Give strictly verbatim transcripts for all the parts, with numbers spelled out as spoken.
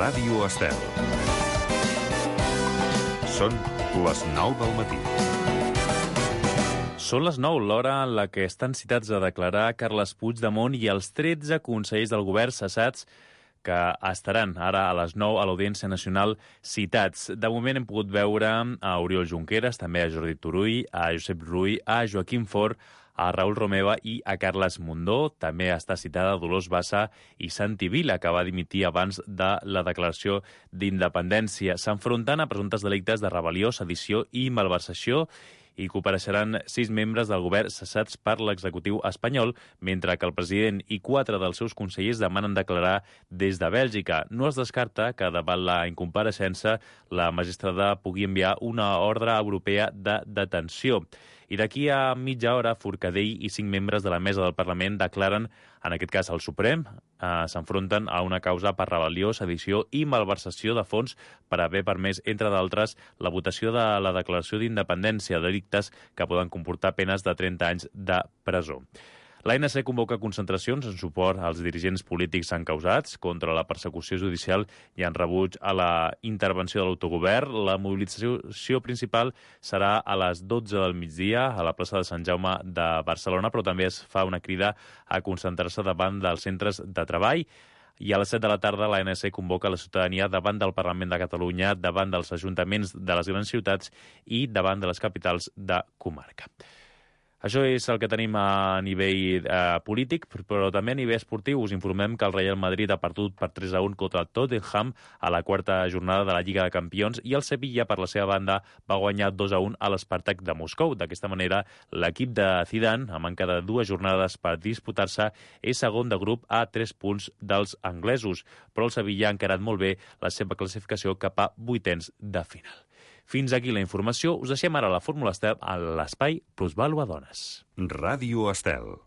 Ràdio Estel. Són les nou del matí. Són les nou, l'hora en la que estan citats a declarar Carles Puigdemont i els tretze consellers del govern cessats que estaran ara a les nou a l'Audiència Nacional citats. De moment hem pogut veure a Oriol Junqueras, també a Jordi Turull, a Josep Rull, a Joaquim Forn, a Raül Romeva i a Carles Mundó. També està citada Dolors Bassa i Santi Vila, que va dimitir abans de la declaració d'independència. S'enfronten a presumptes delictes de rebel·lió, sedició i malversació i compareixeran sis membres del govern cessats per l'executiu espanyol, mentre que el president i quatre dels seus consellers demanen declarar des de Bèlgica. No es descarta que davant la incompareixença la magistrada pugui enviar una ordre europea de detenció. I d'aquí a mitja hora, Forcadell i cinc membres de la mesa del Parlament declaren, en aquest cas el Suprem, eh, s'enfronten a una causa per rebel·lió, sedició i malversació de fons per haver permès, entre d'altres, la votació de la declaració d'independència, delictes que poden comportar penes de trenta anys de presó. L'A N C convoca concentracions en suport als dirigents polítics encausats contra la persecució judicial i en rebuig a la intervenció de l'autogovern. La mobilització principal serà a les dotze del migdia a la plaça de Sant Jaume de Barcelona, però també es fa una crida a concentrar-se davant dels centres de treball. I a les set de la tarda l'A N C convoca la ciutadania davant del Parlament de Catalunya, davant dels ajuntaments de les grans ciutats i davant de les capitals de comarca. Això és el que tenim a nivell eh, polític, però també a nivell esportiu. Us informem que el Real Madrid ha perdut per tres a un contra el Tottenham a la quarta jornada de la Lliga de Campions i el Sevilla, per la seva banda, va guanyar dos a un a l'Spartak de Moscou. D'aquesta manera, l'equip de Zidane, a manca de dues jornades per disputar-se, és segon de grup a tres punts dels anglesos. Però el Sevilla ha encarat molt bé la seva classificació cap a vuitens de final. Fins aquí la informació. Us deixem ara la Fórmula Estel a l'espai Plusvàlua Dones. Ràdio Estel.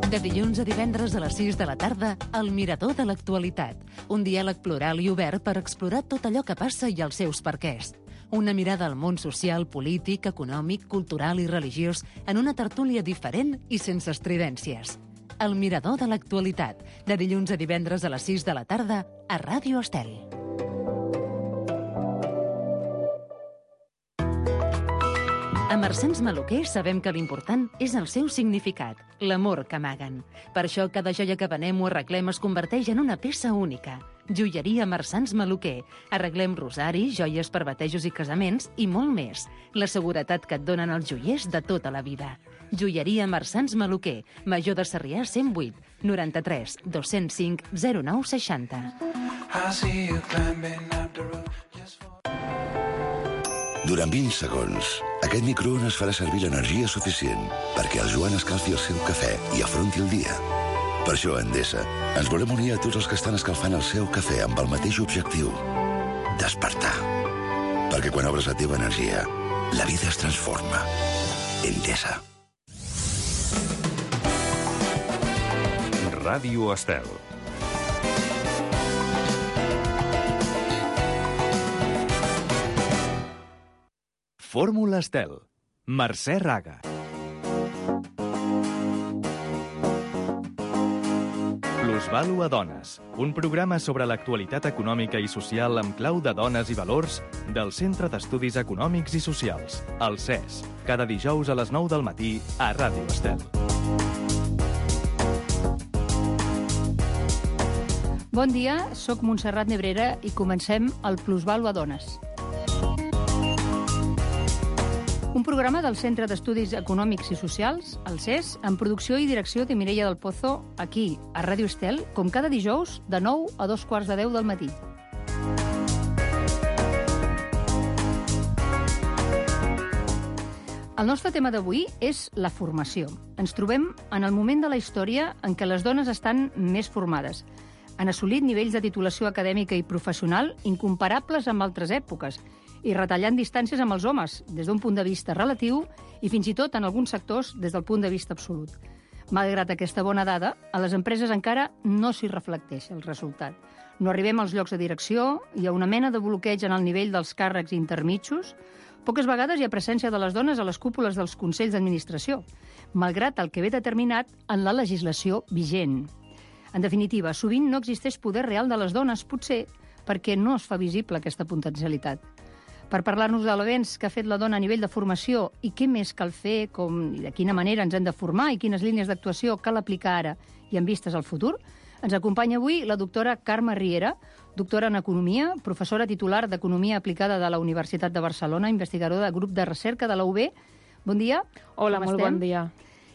De dilluns a divendres a les sis de la tarda, El Mirador de l'Actualitat. Un diàleg plural i obert per explorar tot allò que passa i els seus perquès. Una mirada al món social, polític, econòmic, cultural i religiós en una tertúlia diferent i sense estridències. El Mirador de l'Actualitat. De dilluns a divendres a les sis de la tarda a Ràdio Estel. A Marsans Maluquer sabem que l'important és el seu significat, l'amor que amaguen. Per això cada joia que venem o arreglem es converteix en una peça única. Joieria Marsans Maluquer. Arreglem rosaris, joies per batejos i casaments i molt més. La seguretat que et donen els joiers de tota la vida. Joieria Marsans Maluquer. Major de Sarrià cent vuit, noranta-tres, dos-cents cinc, zero nou seixanta. Durant vint segons, aquest microones farà servir l'energia suficient perquè el Joan escalfi el seu cafè i afronti el dia. Per això, a Endesa, ens volem unir a tots els que estan escalfant el seu cafè amb el mateix objectiu: despertar. Perquè quan obres la teva energia, la vida es transforma. Endesa. Ràdio Estel. Fórmula Estel. Mercè Raga. Plusvàlua Dones, un programa sobre l'actualitat econòmica i social amb clau de dones i valors del Centre d'Estudis Econòmics i Socials, el C E S, cada dijous a les nou del matí a Ràdio Estel. Bon dia, sóc Montserrat Nebrera i comencem el Plusvàlua Dones. Un programa del Centre d'Estudis Econòmics i Socials, el C E S, amb producció i direcció de Mireia del Pozo, aquí, a Ràdio Estel, com cada dijous, de nou a dos quarts de deu del matí. El nostre tema d'avui és la formació. Ens trobem en el moment de la història en què les dones estan més formades. Han assolit nivells de titulació acadèmica i professional incomparables amb altres èpoques, i retallant distàncies amb els homes, des d'un punt de vista relatiu i fins i tot, en alguns sectors, des del punt de vista absolut. Malgrat aquesta bona dada, a les empreses encara no s'hi reflecteix el resultat. No arribem als llocs de direcció, hi ha una mena de bloqueig en el nivell dels càrrecs intermitjos. Poques vegades hi ha presència de les dones a les cúpules dels consells d'administració, malgrat el que ve determinat en la legislació vigent. En definitiva, sovint no existeix poder real de les dones, potser perquè no es fa visible aquesta potencialitat. Per parlar-nos de l'avenç que ha fet la dona a nivell de formació i què més cal fer, com i de quina manera ens hem de formar i quines línies d'actuació cal aplicar ara i amb vistes al futur, ens acompanya avui la doctora Carme Riera, doctora en Economia, professora titular d'Economia Aplicada de la Universitat de Barcelona, investigadora del grup de recerca de la U B. Bon dia. Hola, molt bon dia.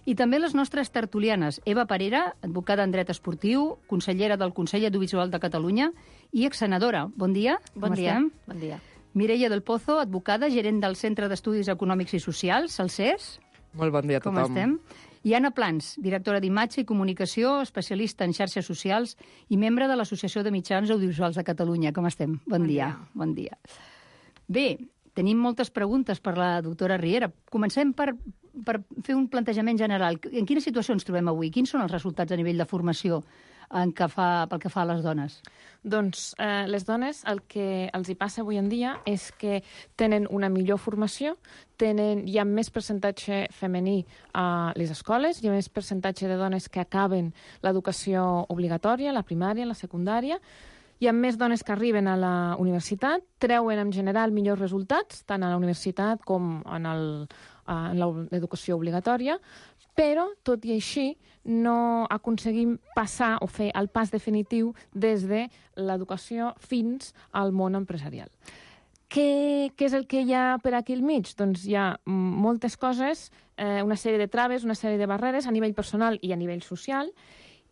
I també les nostres tertulianes, Eva Parera, advocada en dret esportiu, consellera del Consell Audiovisual de Catalunya i exsenadora. Bon dia. Bon Com dia. estem? Bon dia. Mireia del Pozo, advocada, gerent del Centre d'Estudis Econòmics i Socials, el C E S. Molt bon dia a Com tothom. estem? I Anna Plans, directora d'Imatge i Comunicació, especialista en xarxes socials i membre de l'Associació de Mitjans Audiovisuals de Catalunya. Com estem? Bon, Bon dia. dia. Bon dia. Bé, tenim moltes preguntes per la doctora Riera. Comencem per, per fer un plantejament general. En quina situació ens trobem avui? Quins són els resultats a nivell de formació en que fa, pel que fa a les dones? Doncs eh, les dones el que els hi passa avui en dia és que tenen una millor formació, tenen, hi ha més percentatge femení a les escoles, hi ha més percentatge de dones que acaben l'educació obligatòria, la primària, la secundària, hi ha més dones que arriben a la universitat, treuen en general millors resultats, tant a la universitat com en el, en l'educació obligatòria, però, tot i així, no aconseguim passar o fer el pas definitiu des de l'educació fins al món empresarial. Què, què és el que hi ha per aquí al mig? Doncs hi ha moltes coses, eh, una sèrie de traves, una sèrie de barreres a nivell personal i a nivell social,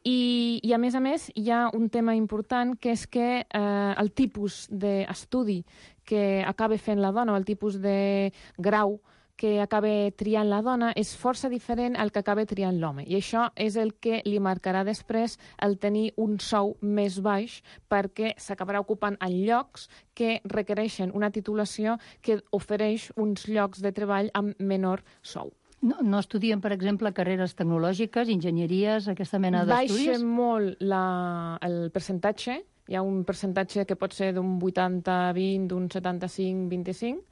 i, i a més a més hi ha un tema important que és que eh, el tipus d'estudi que acaba fent la dona o el tipus de grau que acaba triant la dona és força diferent al que acaba triant l'home. I això és el que li marcarà després el tenir un sou més baix perquè s'acabarà ocupant en llocs que requereixen una titulació que ofereix uns llocs de treball amb menor sou. No, no estudien, per exemple, carreres tecnològiques, enginyeries, aquesta mena d'estudis? Baixa molt la, el percentatge. Hi ha un percentatge que pot ser d'un vuitanta vint, d'un setanta-cinc vint-i-cinc,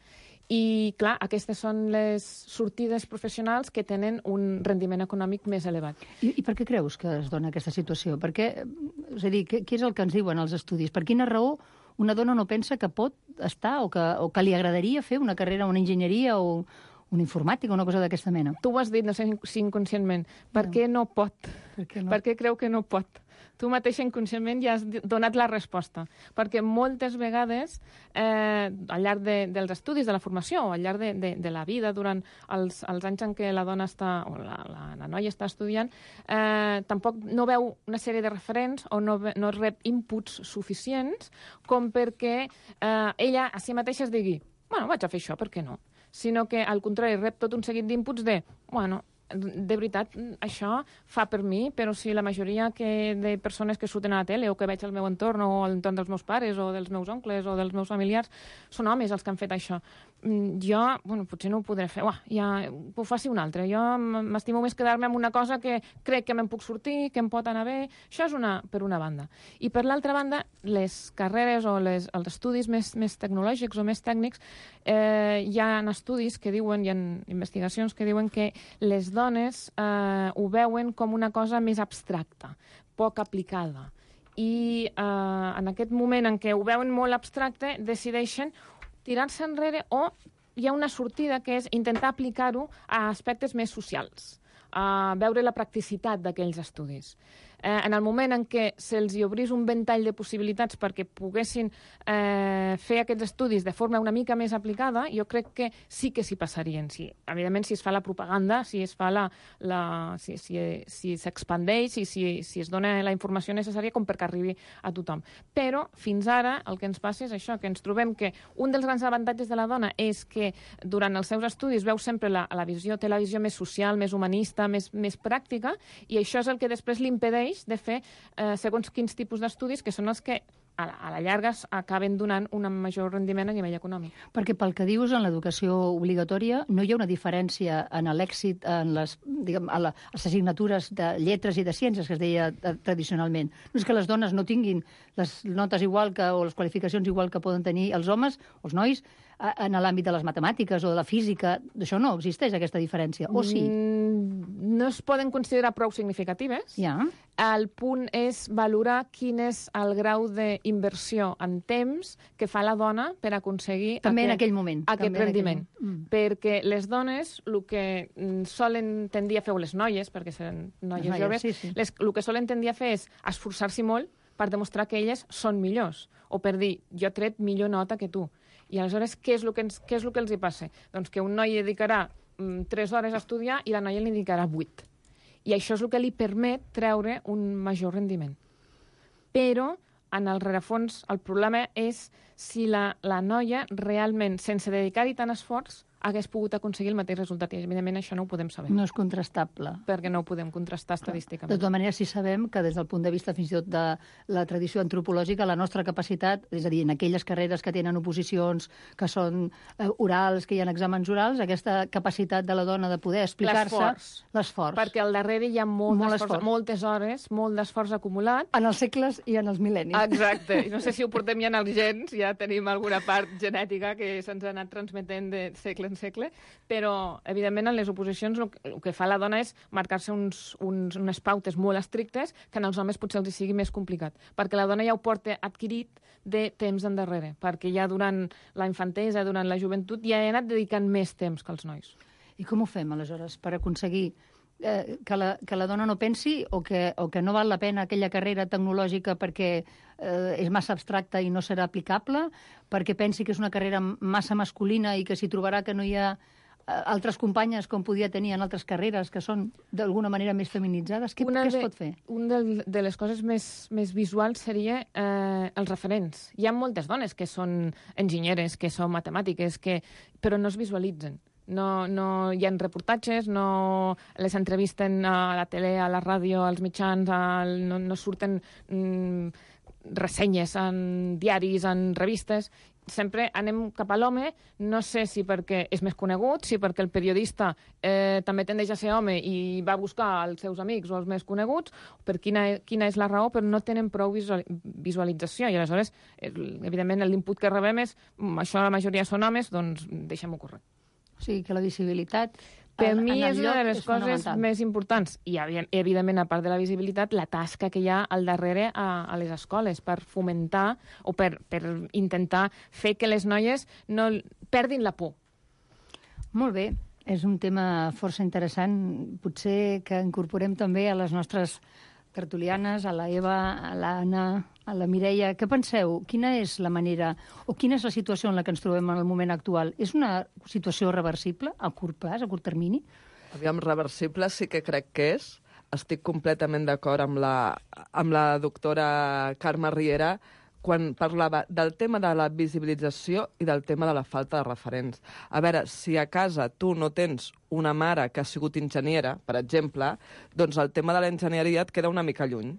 i, clar, aquestes són les sortides professionals que tenen un rendiment econòmic més elevat. I, I per què creus que es dona aquesta situació? Per què, és a dir, què, què és el que ens diuen els estudis? Per quina raó una dona no pensa que pot estar o que, o que li agradaria fer una carrera, una enginyeria o una informàtica, una cosa d'aquesta mena? Tu ho has dit, no sé si inconscientment. Per no. què no pot? Per què no? Per què creu que no pot? Tu mateixa inconscientment ja has donat la resposta. Perquè moltes vegades, eh, al llarg de, dels estudis, de la formació, o al llarg de, de, de la vida, durant els, els anys en què la dona està, o la, la, la noia està estudiant, eh, tampoc no veu una sèrie de referents o no, no rep inputs suficients com perquè eh, ella a si mateixa es digui bueno, vaig a fer això, per què no? Sinó que, al contrari, rep tot un seguit d'inputs de, bueno, de veritat, això fa per mi, però si la majoria que de persones que surten a la tele o que veig al meu entorn o a l'entorn dels meus pares o dels meus oncles o dels meus familiars són homes els que han fet això. Jo, bueno, potser no ho podré fer. Uah, ja ho faci un altre. Jo m'estimo més quedar-me amb una cosa que crec que me'n puc sortir, que em pot anar bé. Això és una, per una banda. I per l'altra banda, les carreres o les, els estudis més, més tecnològics o més tècnics, eh, hi ha estudis que diuen, hi ha investigacions que diuen que les dones eh, ho veuen com una cosa més abstracta, poc aplicada. I eh, en aquest moment en què ho veuen molt abstracte, decideixen tirar-se enrere o hi ha una sortida que és intentar aplicar-ho a aspectes més socials, a veure la practicitat d'aquells estudis. Eh, en el moment en què se'ls hi obrís un ventall de possibilitats perquè poguessin eh, fer aquests estudis de forma una mica més aplicada, jo crec que sí que s'hi passarien. Sí, evidentment, si es fa la propaganda, si es fa la, la, si, si, si s'expandeix i si, si es dona la informació necessària com perquè arribi a tothom. Però, fins ara, el que ens passa és això, que ens trobem que un dels grans avantatges de la dona és que durant els seus estudis veu sempre la, la visió, té la visió més social, més humanista, més, més pràctica, i això és el que després li impedeix de fer eh, segons quins tipus d'estudis que són els que a la, a la llarga acaben donant un major rendiment a nivell econòmic. Perquè pel que dius, en l'educació obligatòria no hi ha una diferència en l'èxit en les, diguem, a la, a les assignatures de lletres i de ciències que es deia tradicionalment. No és que les dones no tinguin les notes igual que, o les qualificacions igual que poden tenir els homes, els nois, en l'àmbit de les matemàtiques o de la física. D'això no existeix, aquesta diferència, o sí? Mm, no es poden considerar prou significatives. Ja. El punt és valorar quin és el grau d'inversió en temps que fa la dona per aconseguir També aquest, en aquell moment. aquest també rendiment. Aquell... Mm. Perquè les dones, el que solen tendir a fer, o les noies, perquè són noies, noies joves, sí, sí. Les, el que solen tendir a fer és esforçar-s'hi molt per demostrar que elles són millors, o per dir, jo he tret millor nota que tu. I aleshores, què és el que, ens, què és el que els hi passa? Doncs que un noi dedicarà mm, tres hores a estudiar i la noia li dedicarà vuit. I això és el que li permet treure un major rendiment. Però, en el rerefons, el problema és si la, la noia realment, sense dedicar-hi tant esforç, hagués pogut aconseguir el mateix resultat. I, evidentment, això no ho podem saber. No és contrastable. Perquè no ho podem contrastar estadísticament. De tota manera, sí sabem que des del punt de vista fins i tot de la tradició antropològica, la nostra capacitat, és a dir, en aquelles carreres que tenen oposicions, que són eh, orals, que hi ha exàmens orals, aquesta capacitat de la dona de poder explicar-se... L'esforç. Perquè al darrere hi ha molt, molt esforç, moltes hores, molt d'esforç acumulat. En els segles i en els mil·lennis. Exacte. I no sé si ho portem ja en els gens, ja tenim alguna part genètica que se'ns ha anat transmetent de segle en segle, però, evidentment, en les oposicions el, el que fa la dona és marcar-se uns, uns, unes pautes molt estrictes que en els homes potser els hi sigui més complicat, perquè la dona ja ho porta adquirit de temps endarrere, perquè ja durant la infantesa, durant la joventut, ja he anat dedicant més temps que els nois. I com ho fem, aleshores, per aconseguir eh, que, la, que la dona no pensi o que, o que no val la pena aquella carrera tecnològica perquè eh, és massa abstracta i no serà aplicable, perquè pensi que és una carrera massa masculina i que s'hi trobarà que no hi ha eh, altres companyes com podia tenir en altres carreres que són d'alguna manera més feminitzades? Què, què es pot fer? Una de, de les coses més, més visuals seria eh, els referents. Hi ha moltes dones que són enginyeres, que són matemàtiques, que, però no es visualitzen. No, no hi ha reportatges, no les entrevisten a la tele, a la ràdio, als mitjans, al, no, no surten mm, ressenyes en diaris, en revistes. Sempre anem cap a l'home, no sé si perquè és més conegut, si perquè el periodista eh, també tendeix a ser home i va buscar els seus amics o els més coneguts, per quina, quina és la raó, però no tenen prou visual, visualització. I aleshores, evidentment, l'input que rebem és això la majoria són homes, doncs deixem-ho córrer. O sigui, que la visibilitat... Per mi és una de les és coses més importants. I, evidentment, a part de la visibilitat, la tasca que hi ha al darrere a, a les escoles per fomentar o per, per intentar fer que les noies no perdin la por. Molt bé. És un tema força interessant. Potser que incorporem també a les nostres tertulianes, a la Eva, a l'Anna, a la Mireia. Què penseu? Quina és la manera o quina és la situació en la que ens trobem en el moment actual? És una situació reversible a curt plaç, a curt termini? Aviam, reversible sí que crec que és. Estic completament d'acord amb la, amb la doctora Carme Riera quan parlava del tema de la visibilització i del tema de la falta de referents. A veure, si a casa tu no tens una mare que ha sigut enginyera, per exemple, doncs el tema de l'enginyeria et queda una mica lluny.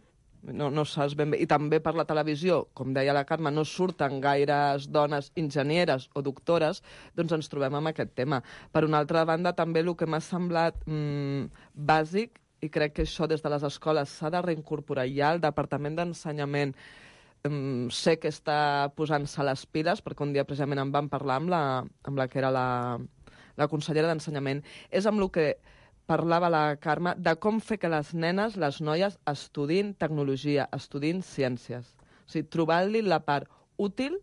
No, no saps ben bé. I també per la televisió, com deia la Carme, no surten gaires dones enginyeres o doctores, doncs ens trobem amb aquest tema. Per una altra banda, també el que m'ha semblat mmm, bàsic, i crec que això des de les escoles s'ha de reincorporar ja, el Departament d'Ensenyament Um, sé que està posant-se les piles, perquè un dia precisament en vam parlar amb la, amb la que era la, la consellera d'Ensenyament, és amb el que parlava la Carme, de com fer que les nenes, les noies, estudin tecnologia, estudin ciències. O sigui, trobar-li la part útil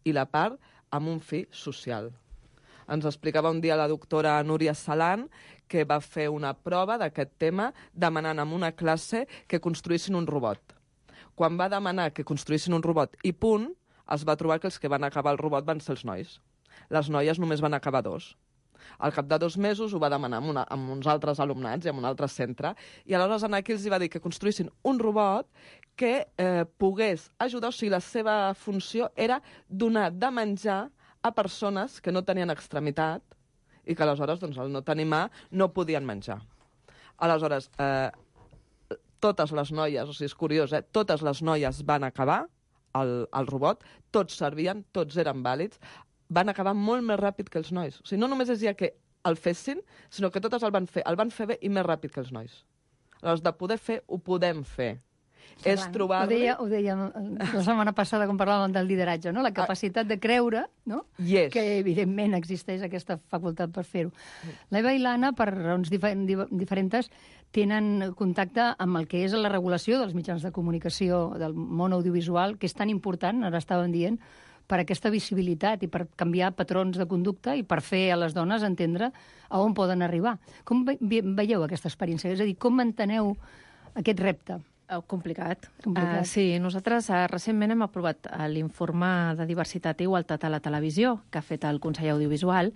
i la part amb un fi social. Ens explicava un dia la doctora Núria Salan que va fer una prova d'aquest tema demanant en una classe que construïssin un robot. Quan va demanar que construïssin un robot i punt, es va trobar que els que van acabar el robot van ser els nois. Les noies només van acabar dos. Al cap de dos mesos ho va demanar amb, una, amb uns altres alumnats i amb un altre centre, i aleshores aquí els va dir que construïssin un robot que eh, pogués ajudar, o sigui, la seva funció era donar de menjar a persones que no tenien extremitat i que aleshores, doncs, al no tenir mà, no podien menjar. Aleshores, eh, totes les noies, o sigui, és curiós, eh? Totes les noies van acabar el, el robot, tots servien, tots eren vàlids, van acabar molt més ràpid que els nois. O sigui, no només és ja que el fessin, sinó que totes el van fer, el van fer bé i més ràpid que els nois. Aleshores, de poder fer, ho podem fer. Sí, és clar, trobar-li... Ho deia, ho deia la setmana passada quan parlàvem del lideratge, no? La capacitat de creure, no? Yes. Que evidentment existeix aquesta facultat per fer-ho. L'Eva i l'Anna, per raons difer diferents, tenen contacte amb el que és la regulació dels mitjans de comunicació del món audiovisual, que és tan important, ara estàvem dient, per aquesta visibilitat i per canviar patrons de conducta i per fer a les dones entendre a on poden arribar. Com ve veieu aquesta experiència? És a dir, com enteneu aquest repte? Oh, complicat. Complicat. Uh, sí, nosaltres uh, recentment hem aprovat uh, l'informe de diversitat i igualtat a la televisió que ha fet el Consell Audiovisual,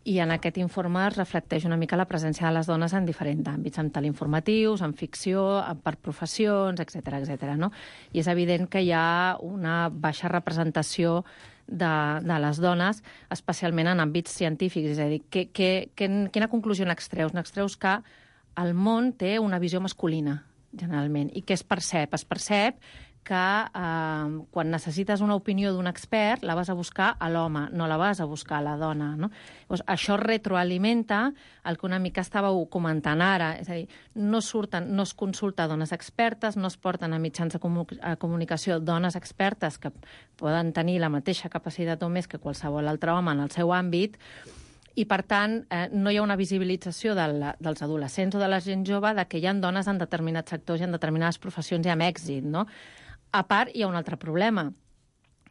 i en aquest informe es reflecteix una mica la presència de les dones en diferents àmbits, en teleinformatius, en ficció, per professions, etcètera, etcètera, no? I és evident que hi ha una baixa representació de, de les dones, especialment en àmbits científics. És a dir, que, que, que, quina conclusió n'extreus? N'extreus que el món té una visió masculina, generalment, i que es percep? Es percep que eh, quan necessites una opinió d'un expert la vas a buscar a l'home, no la vas a buscar a la dona, no? Llavors, això retroalimenta el que una mica estàveu comentant ara, és a dir, no surten, no es consulta dones expertes, no es porten a mitjans de comu a comunicació dones expertes que poden tenir la mateixa capacitat o més que qualsevol altre home en el seu àmbit, i, per tant, eh, no hi ha una visibilització del, dels adolescents o de la gent jove de que hi ha dones en determinats sectors i en determinades professions i amb èxit, no? A part, hi ha un altre problema,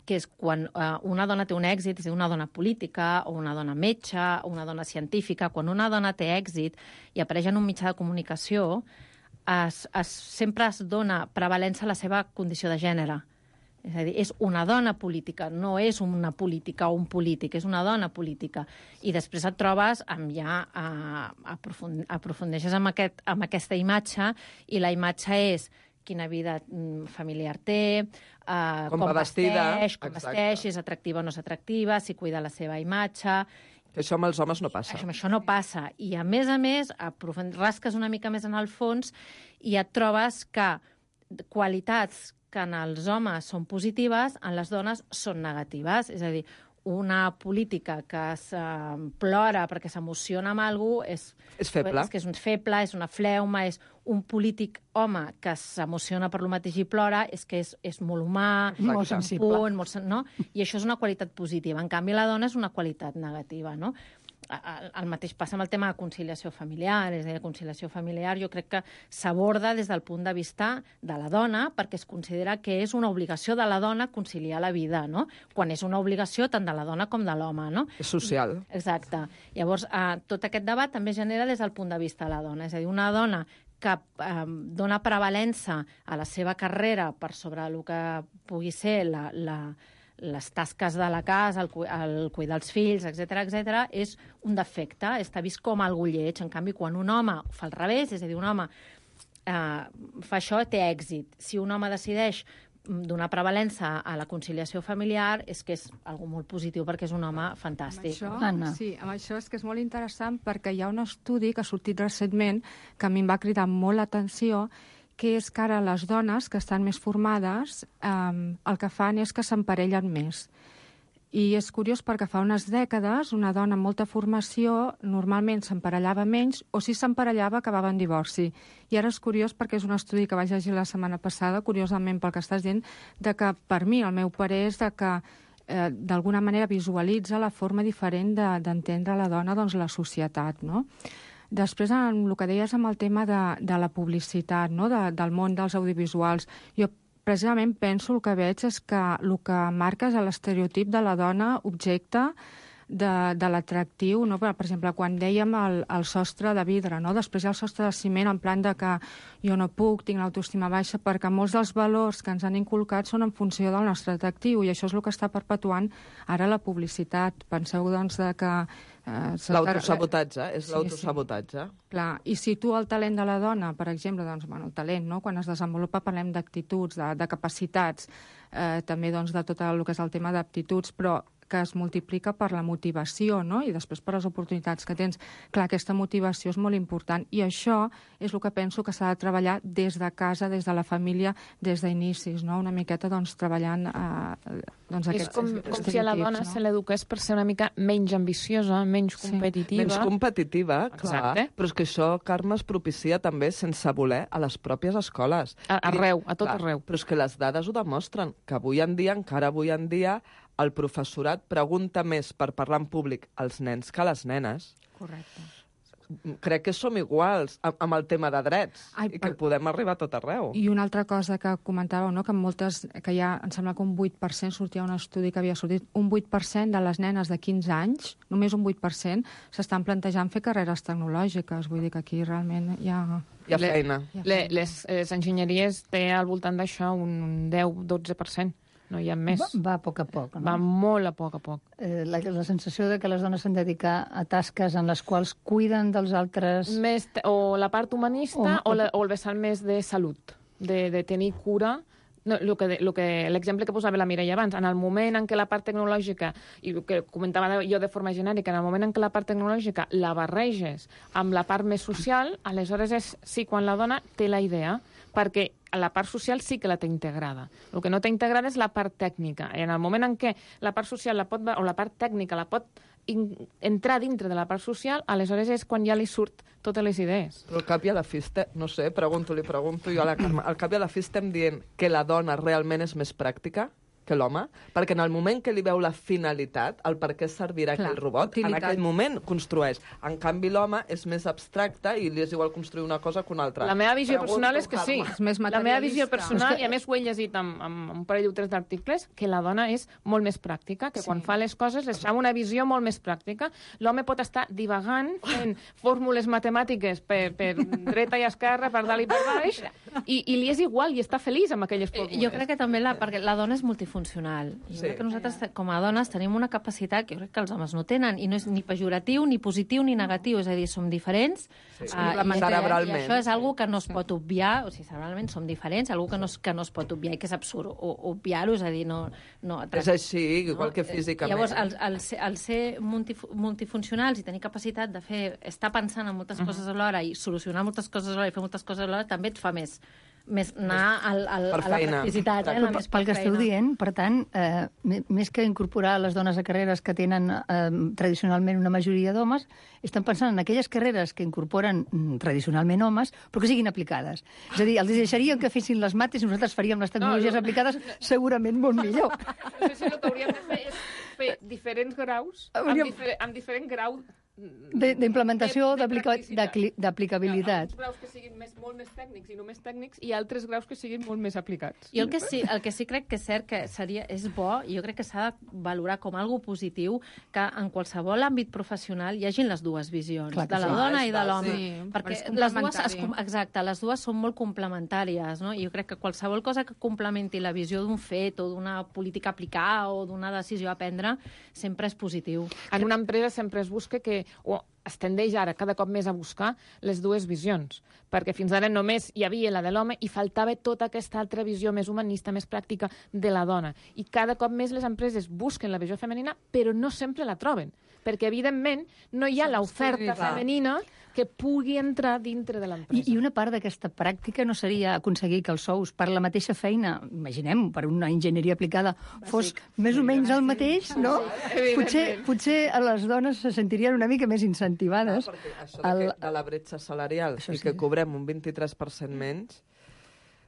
que és quan eh, una dona té un èxit, és a dir, una dona política, o una dona metge, o una dona científica, quan una dona té èxit i apareix en un mitjà de comunicació, es, es, sempre es dona prevalença a la seva condició de gènere. És a dir, és una dona política, no és una política o un polític, és una dona política. I després et trobes amb ja eh, aprofund aprofundeixes amb, aquest, amb aquesta imatge, i la imatge és quina vida familiar té, uh, com, com vestida, vesteix, com exacte. vesteix, si és atractiva o no és atractiva, si cuida la seva imatge. Això amb els homes no passa. Això, això no passa. I, a més a més, rasques una mica més en el fons i et trobes que qualitats que en els homes són positives, en les dones són negatives. És a dir, una política que es uh, plora perquè s'emociona amb alguna cosa és, és feble. És que és un feble, és una fleuma, és un polític home que s'emociona per lo mateix i plora, és que és, és molt humà, Exacte. Molt sensible. Punt, molt sen no? I això és una qualitat positiva. En canvi, la dona és una qualitat negativa, no? El mateix passa amb el tema de conciliació familiar. És a dir, la conciliació familiar jo crec que s'aborda des del punt de vista de la dona, perquè es considera que és una obligació de la dona conciliar la vida, no? Quan és una obligació tant de la dona com de l'home, no? És social. Exacte. Llavors, eh, tot aquest debat també es genera des del punt de vista de la dona. És a dir, una dona que eh, dona prevalença a la seva carrera per sobre el que pugui ser la, la, les tasques de la casa, el, el cuidar els fills, etcètera, etcètera, és un defecte, està vist com algú lleig. En canvi, quan un home fa al revés, és a dir, un home eh, fa això, té èxit. Si un home decideix donar prevalença a la conciliació familiar, és que és algo molt positiu, perquè és un home fantàstic. Amb això, sí, amb això és que és molt interessant, perquè hi ha un estudi que ha sortit recentment que a mi em va cridar molt l'atenció, que és que ara les dones que estan més formades eh, el que fan és que s'emparellen més. I és curiós perquè fa unes dècades una dona amb molta formació normalment s'emparellava menys, o si s'emparellava acabava en divorci. I ara és curiós perquè és un estudi que vaig llegir la setmana passada, curiosament pel que estàs dient, de que per mi el meu parer és de que eh, d'alguna manera visualitza la forma diferent d'entendre de, la dona, doncs la societat, no? Després, en el que deies amb el tema de, de la publicitat, no? de, del món dels audiovisuals, jo precisament penso, el que veig és que el que marca és l'estereotip de la dona objecte de, de l'atractiu, no? Per exemple, quan dèiem el, el sostre de vidre, no? Després hi ha el sostre de ciment, en plan de que jo no puc, tinc l'autoestima baixa, perquè molts dels valors que ens han inculcat són en funció del nostre atractiu, i això és el que està perpetuant ara la publicitat. Penseu, doncs, de que Eh, l'autosabotatge, és sí, l'autosabotatge. Sí. Clar, i si tu el talent de la dona, per exemple, doncs, bueno, el talent, no? Quan es desenvolupa parlem d'actituds, de, de capacitats, eh, també doncs, de tot el que és el tema d'aptituds, però que es multiplica per la motivació, no? I després per les oportunitats que tens. Clar, aquesta motivació és molt important i això és el que penso que s'ha de treballar des de casa, des de la família, des d'inicis, no? Una miqueta doncs, treballant eh, doncs, és aquests com, com si a la dona no? se l'eduqués per ser una mica menys ambiciosa, menys Sí. competitiva. Menys competitiva, clar. Exacte. Però és que això, Carme, es propicia també sense voler a les pròpies escoles. A, arreu, a tot Clar, arreu. Però és que les dades ho demostren, que avui en dia, encara avui en dia, el professorat pregunta més per parlar en públic als nens que a les nenes. Correcte. Crec que som iguals amb, amb el tema de drets Ai, i que per- podem arribar a tot arreu. I una altra cosa que comentàveu, no? Que moltes, que hi ha, em sembla que un vuit per cent, sortia un estudi que havia sortit, un vuit per cent de les nenes de quinze anys, només un vuit per cent, s'estan plantejant fer carreres tecnològiques. Vull dir que aquí realment hi ha... Hi ha Le- feina. hi ha Le, feina. les, les enginyeries té al voltant d'això un deu dotze per cent. No hi ha més. Va, va a poc a poc, no? Va molt a poc a poc. Eh, la, la sensació de que les dones s'han de dedicar a tasques en les quals cuiden dels altres... Més, te- o la part humanista O- o, la, o el vessant més de salut, de, de tenir cura. No, lo que, de- lo que, l'exemple que posava la Mireia abans, en el moment en què la part tecnològica, i el que comentava jo de forma genèrica, en el moment en què la part tecnològica la barreges amb la part més social, aleshores és sí quan la dona té la idea, perquè la part social sí que la té integrada. El que no té integrada és la part tècnica. I en el moment en què la part social la pot, o la part tècnica la pot in, entrar dintre de la part social, aleshores és quan ja li surt totes les idees. Però al cap i a la fi, este- no sé, pregunto, li pregunto jo a la Carme, al cap i a la fi estem dient que la dona realment és més pràctica que l'home? Perquè en el moment que li veu la finalitat, el per què servirà Clar, aquell robot, utilitat. en aquell moment construeix. En canvi, l'home és més abstracte i li és igual construir una cosa que una altra. La meva visió Pregunto, personal és que sí. Carme. És més La meva visió materialista. personal, És que- i a més ho he llegit amb, amb un parell o tres d'articles, que la dona és molt més pràctica, que Sí. quan fa les coses les fa amb una visió molt més pràctica. L'home pot estar divagant fent fórmules matemàtiques per, per dreta i esquerra, per dalt i per baix, i, i li és igual, i està feliç amb aquelles fórmules. Jo crec que també la, perquè la dona és multifuncional. Jo Sí. crec que nosaltres, com a dones, tenim una capacitat que jo crec que els homes no tenen, i no és ni pejoratiu, ni positiu, ni negatiu. És a dir, som diferents. Sí. ah, i, Cerebralment. I això és algo que no es pot obviar, o sigui, cerebralment som diferents, algo que no, es- que no es pot obviar i que és absurd o- obviar-ho, és a dir, no... no És així, igual que Eh, físicament. Llavors, el, el, ser, el ser multif multifuncionals i tenir capacitat de fer, estar pensant en moltes coses alhora i solucionar moltes coses alhora i fer moltes coses alhora, també et fa més, més anar al, al, Per a la feina. practicitat. Eh? Però La més pel que esteu feina. dient, per tant, eh, m- més que incorporar les dones a carreres que tenen eh, tradicionalment una majoria d'homes, estan pensant en aquelles carreres que incorporen mm, tradicionalment homes, però que siguin aplicades. És a dir, els deixaríem que fessin les mates i nosaltres faríem les tecnologies No, no. aplicades segurament molt millor. No sé si el que hauríem de fer és fer diferents graus, amb, Hauríem- difer amb diferent grau De- D'implementació, de- de d'aplica- practicitat. d'acli- d'aplicabilitat. Alguns graus que siguin més, molt més tècnics i només tècnics, i altres graus que siguin molt més aplicats. Jo el que, sí, el que sí crec que és cert que seria, és bo, i jo crec que s'ha de valorar com algo positiu, que en qualsevol àmbit professional hi hagin les dues visions, Clar que de la sí. dona Ah, i de és l'home. Sí, perquè és les dues, es, complementari. exacte, les dues són molt complementàries, no? I jo crec que qualsevol cosa que complementi la visió d'un fet o d'una política a aplicar o d'una decisió a prendre sempre és positiu. En una empresa sempre es busca que, o es tendeix ara cada cop més a buscar les dues visions, perquè fins ara només hi havia la de l'home i faltava tota aquesta altra visió més humanista, més pràctica de la dona. I cada cop més les empreses busquen la visió femenina, però no sempre la troben, perquè evidentment no hi ha l'oferta clar. femenina que pugui entrar dintre de l'empresa. I, I una part d'aquesta pràctica no seria aconseguir que els sous per la mateixa feina, imaginem, per una enginyeria aplicada, fos més o menys el mateix, no? Potser, potser a les dones se sentirien una mica més incentivades. Ah, perquè això de, El- que, de la bretxa salarial Això i sí. que cobrem un vint-i-tres per cent menys,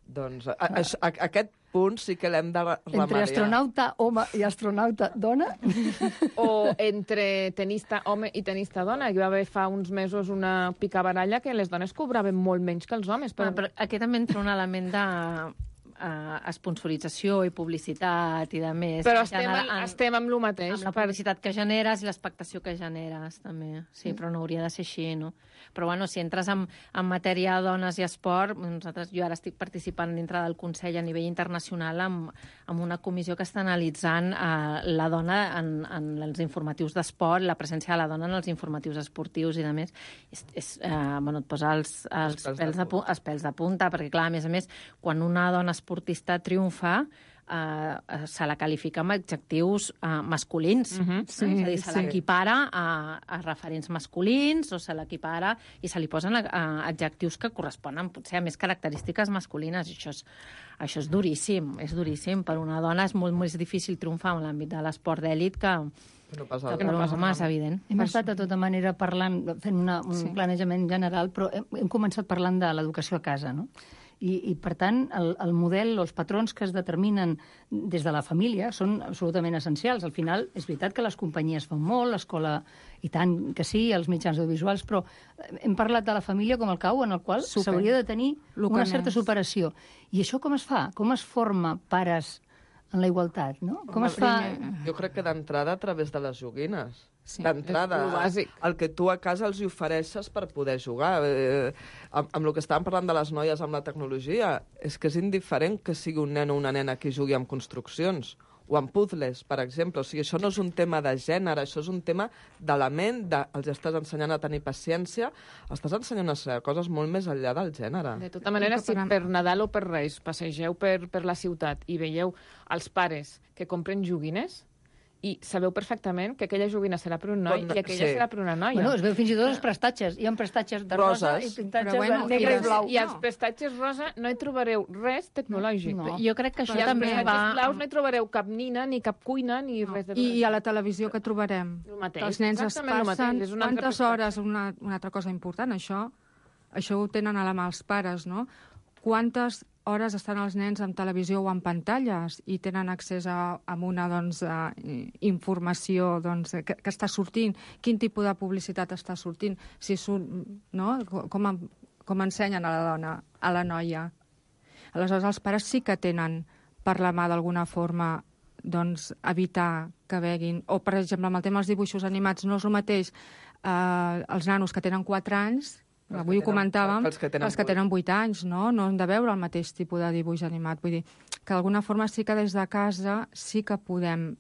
doncs a, a, a, aquest punt sí que l'hem de remediar. Entre astronauta home i astronauta dona, O entre tenista home i tenista dona. Hi va haver fa uns mesos una picabaralla que les dones cobraven molt menys que els homes. Però, Però, però aquí també entra un element de uh, sponsorització i publicitat i de més. però estem, Genera- en, estem amb el mateix. amb la per- publicitat que generes i l'expectació que generes, també. Sí, però no hauria de ser així, no? Però, bueno, si entres en, en matèria de dones i esport, nosaltres, jo ara estic participant dintre del Consell a nivell internacional amb, amb una comissió que està analitzant eh, la dona en, en els informatius d'esport, la presència de la dona en els informatius esportius i de més. És, és, eh, bueno, et posa els, els, Els pèls pèls de de, pu- els pèls de punta, perquè, clar, a més a més, quan una dona esportista triomfa, eh, se la qualifica amb adjectius eh, masculins. Mhm. Sí, és a dir, se sí. l'equipara a, a referents masculins o se l'equipara i se li posen a, a adjectius que corresponen potser a més característiques masculines. I això és, això és duríssim, és duríssim. Per una dona és molt més difícil triomfar en l'àmbit de l'esport d'èlit que, Que no passa que per un home, és evident. Hem estat de tota manera parlant, fent una, un Sí. planejament general, però hem, hem començat parlant de l'educació a casa, no? I, i per tant, el, el model, els patrons que es determinen des de la família són absolutament essencials. Al final, és veritat que les companyies fan molt, l'escola, i tant que sí, els mitjans audiovisuals, però hem parlat de la família com el cau en el qual Super. s'hauria de tenir Lo que una certa més. superació. I això com es fa? Com es forma pares en la igualtat, no? Com es fa... Jo crec que d'entrada a través de les joguines. Sí, D'entrada, és lo bàsic. el que tu a casa els hi ofereixes per poder jugar. Eh, amb, amb el que estàvem parlant de les noies amb la tecnologia, és que és indiferent que sigui un nen o una nena que jugui amb construccions o amb puzzles, per exemple. O sigui, això no és un tema de gènere, això és un tema de la ment, de, els estàs ensenyant a tenir paciència, estàs ensenyant a ser coses molt més enllà del gènere. De tota manera, Que si per- per Nadal o per Reis passegeu per, per la ciutat i veieu els pares que compren joguines, i sabeu perfectament que aquella joguina serà per un noi Bon, i aquella sí. serà per una noia. Bueno, es veu fins i tot els prestatges. Hi ha prestatges de rosa Roses. i pintatges Però bueno, de negre i i les- blau. I als prestatges rosa no hi trobareu res tecnològic. No. Jo crec que això I als també prestatges va... blaus no hi trobareu cap nina, ni cap cuina, ni res de I, res. I a la televisió que trobarem? El mateix, Que els nens es exactament el passen mateix, és una altra quantes perspectiva. hores, una, una altra cosa important, això, això ho tenen a la mà els pares, no? Quantes hores estan els nens en televisió o en pantalles i tenen accés a, a una doncs, a, informació doncs, que, que està sortint, quin tipus de publicitat està sortint, si surt, no? com, en- com ensenyen a la dona, a la noia. Aleshores, els pares sí que tenen per la mà d'alguna forma doncs, evitar que veguin. O, per exemple, amb el tema dels dibuixos animats, no és el mateix eh, els nanos que tenen quatre anys, Els avui que ho tenen- comentàvem, els que tenen els que vuit. tenen vuit anys, no? No han de veure el mateix tipus de dibuix animat. Vull dir que d'alguna forma sí que des de casa sí que podem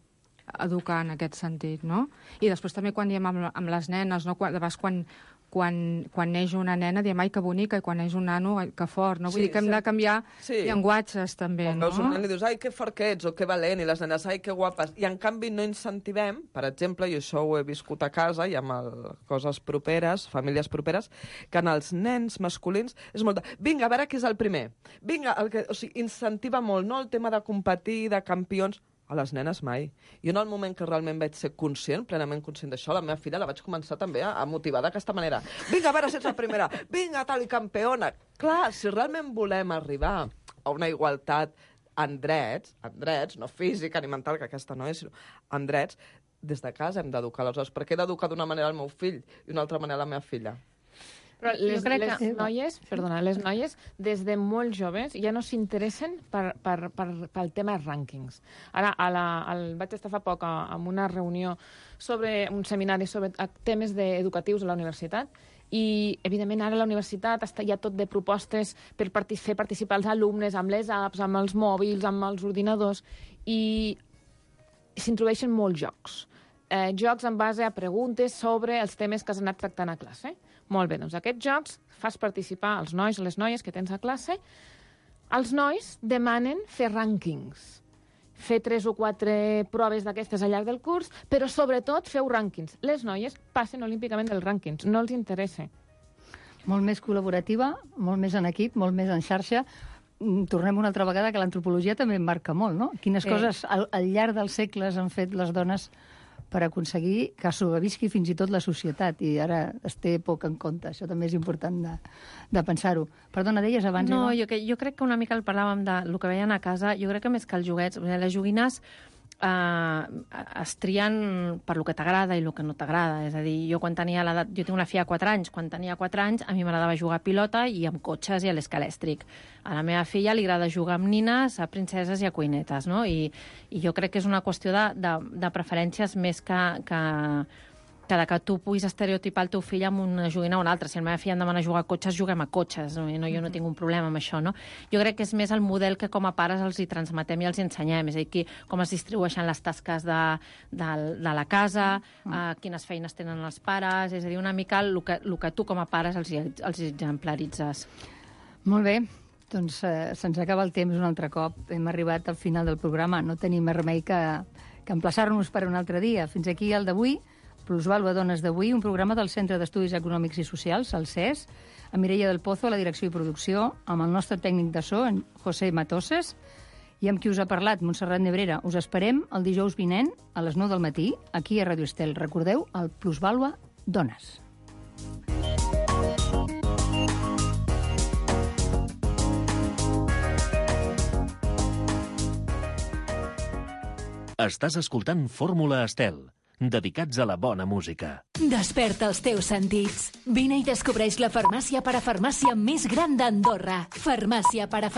educar en aquest sentit, no? I després també quan diem amb, amb les nenes, no? Quan, de vegades quan, quan, quan neix una nena diem ai, que bonica, i quan neix un nano, ai, que fort, no? Vull Sí, dir que hem sí. de canviar Sí. llenguatges també, Quan no? veus un nen i dius, ai, que fort que ets, o que valent, i les nenes, ai, que guapes. I en canvi no incentivem, per exemple, i això ho he viscut a casa i amb el, coses properes, famílies properes, que en els nens masculins és molt de, vinga, a veure qui és el primer. Vinga, el que, o sigui, incentiva molt, no?, el tema de competir, de campions. A les nenes mai. Jo en el moment que realment vaig ser conscient, plenament conscient d'això, la meva filla la vaig començar també a, a motivar d'aquesta manera. Vinga, a veure si ets la primera. Vinga, tal i campeona. Clar, si realment volem arribar a una igualtat en drets, en drets, no física ni mental, que aquesta no és, sinó en drets, des de casa hem d'educar. Aleshores, per què he d'educar d'una manera el meu fill i una altra manera la meva filla? Però les, crec les que- noies, perdona, les noies des de molt joves ja no s'interessen per, per, per, pel tema rànquings. Ara, a la, al, vaig estar fa poc a, en una reunió sobre un seminari sobre a, temes de, educatius a la universitat i, evidentment, ara la universitat està ja tot de propostes per partic fer participar els alumnes amb les apps, amb els mòbils, amb els ordinadors, i s'introdueixen molts jocs. Eh, jocs en base a preguntes sobre els temes que has anat tractant a classe. Molt bé, doncs aquests jocs fas participar els nois o les noies que tens a classe. Els nois demanen fer rànquings, fer tres o quatre proves d'aquestes al llarg del curs, però sobretot feu rànquings. Les noies passen olímpicament dels rànquings, no els interessa. Molt més col·laborativa, molt més en equip, molt més en xarxa. Mm, Tornem una altra vegada que l'antropologia també en marca molt, no? Quines Sí. coses al, al llarg dels segles han fet les dones per aconseguir que sobrevisqui fins i tot la societat, i ara es té poc en compte. Això també és important de, de pensar-ho. Perdona, deies abans... No, Eva? jo, que, jo crec que una mica el parlàvem de lo que veien a casa. Jo crec que més que els joguets, les joguines eh, es trien per lo que t'agrada i lo que no t'agrada. És a dir, jo quan tenia l'edat... Jo tinc una filla de quatre anys. Quan tenia quatre anys, a mi m'agradava jugar a pilota i amb cotxes i a l'escalèstric. A la meva filla li agrada jugar amb nines, a princeses i a cuinetes, no? I, i jo crec que és una qüestió de, de, de preferències més que, que, que de que tu puguis estereotipar el teu fill amb una joguina o una altra. Si la meva filla em demana jugar a cotxes, juguem a cotxes. No? No, jo no tinc un problema amb això, no? Jo crec que és més el model que com a pares els hi transmetem i els hi ensenyem. És a dir, qui, com es distribueixen les tasques de, de, de la casa, mm. uh, quines feines tenen els pares... És a dir, una mica el que, el que tu com a pares els, hi- els exemplaritzes. Molt bé. Doncs eh, se'ns acaba el temps un altre cop. Hem arribat al final del programa. No tenim més remei que, que emplaçar-nos per un altre dia. Fins aquí el d'avui, Plusvàlua Dones d'avui, un programa del Centre d'Estudis Econòmics i Socials, el C E S, a Mireia del Pozo, a la direcció i producció, amb el nostre tècnic de so, en José Matoses, i amb qui us ha parlat, Montserrat Nebrera. Us esperem el dijous vinent a les nou del matí, aquí a Ràdio Estel. Recordeu, el Plusvàlua Dones. Estàs escoltant Fórmula Estel, dedicats a la bona música. Desperta els teus sentits. Vine i descobreix la farmàcia parafarmàcia més gran d'Andorra. Farmàcia parafarmàcia.